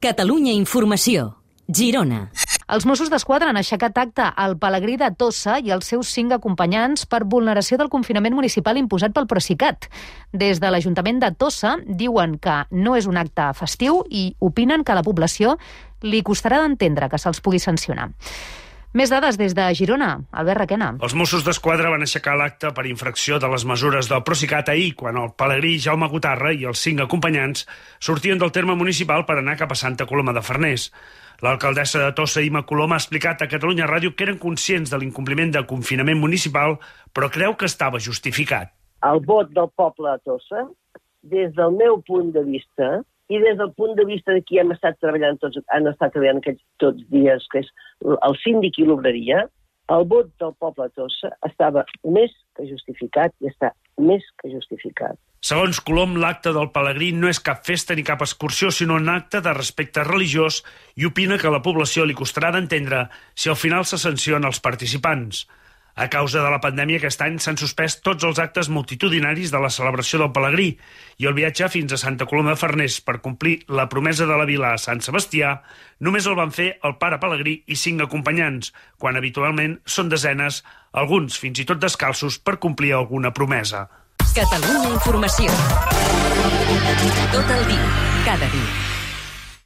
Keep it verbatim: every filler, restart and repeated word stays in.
Catalunya Informació. Girona. Els Mossos d'Esquadra han aixecat acte al Pelegrí de Tossa i els seus cinc acompanyants per vulneració del confinament municipal imposat pel Procicat. Des de l'Ajuntament de Tossa diuen que no és un acte festiu i opinen que a la població li costarà d'entendre que se'ls pugui sancionar. Més dades des de Girona. Albert Requena. Els Mossos d'Esquadra van aixecar l'acte per infracció de les mesures del Procicat ahir, quan el pelegrí Jaume Gotarra i els cinc acompanyants sortien del terme municipal per anar cap a Santa Coloma de Farners. L'alcaldessa de Tossa, Imma Colom, ha explicat a Catalunya Ràdio que eren conscients de l'incompliment de confinament municipal, però creu que estava justificat. El vot del poble de Tossa, des del meu punt de vista, i des del punt de vista de qui hem estat treballant tots, han estat treballant aquests tots dies, que és el síndic i l'obreria, el vot del poble de Tossa estava més que justificat i està més que justificat. Segons Colom, l'acte del pelegrí no és cap festa ni cap excursió, sinó un acte de respecte religiós i opina que a la població li costarà d'entendre si al final se sanciona els participants. A causa de la pandèmia, aquest any s'han suspès tots els actes multitudinaris de la celebració del pelegrí i el viatge fins a Santa Coloma de Farners per complir la promesa de la vila a Sant Sebastià només el van fer el pare pelegrí i cinc acompanyants, quan habitualment són desenes, alguns fins i tot descalços per complir alguna promesa. Catalunya Informació. Tot el dia, cada dia.